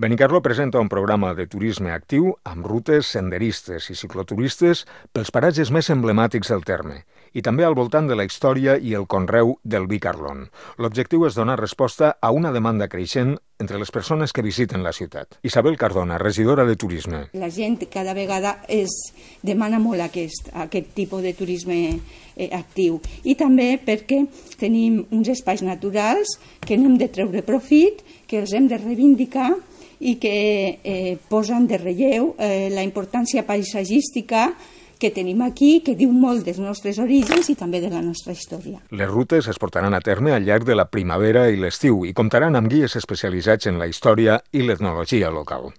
Benicarló presenta un programa de turisme actiu amb rutes senderistes i cicloturistes pels paratges més emblemàtics del terme i també al voltant de la història i el conreu del vi Carlon. L'objectiu és donar resposta a una demanda creixent entre les persones que visiten la ciutat. Isabel Cardona, regidora de Turisme. La gent cada vegada demana molt aquest tipus de turisme actiu i també perquè tenim uns espais naturals que n'hem de treure profit, que els hem de reivindicar i que posen de relleu la importància paisatgística que tenim aquí, que diu molt dels nostres orígens i també de la nostra història. Les rutes es portaran a terme al llarg de la primavera i l'estiu i comptaran amb guies especialitzats en la història i l'etnologia local.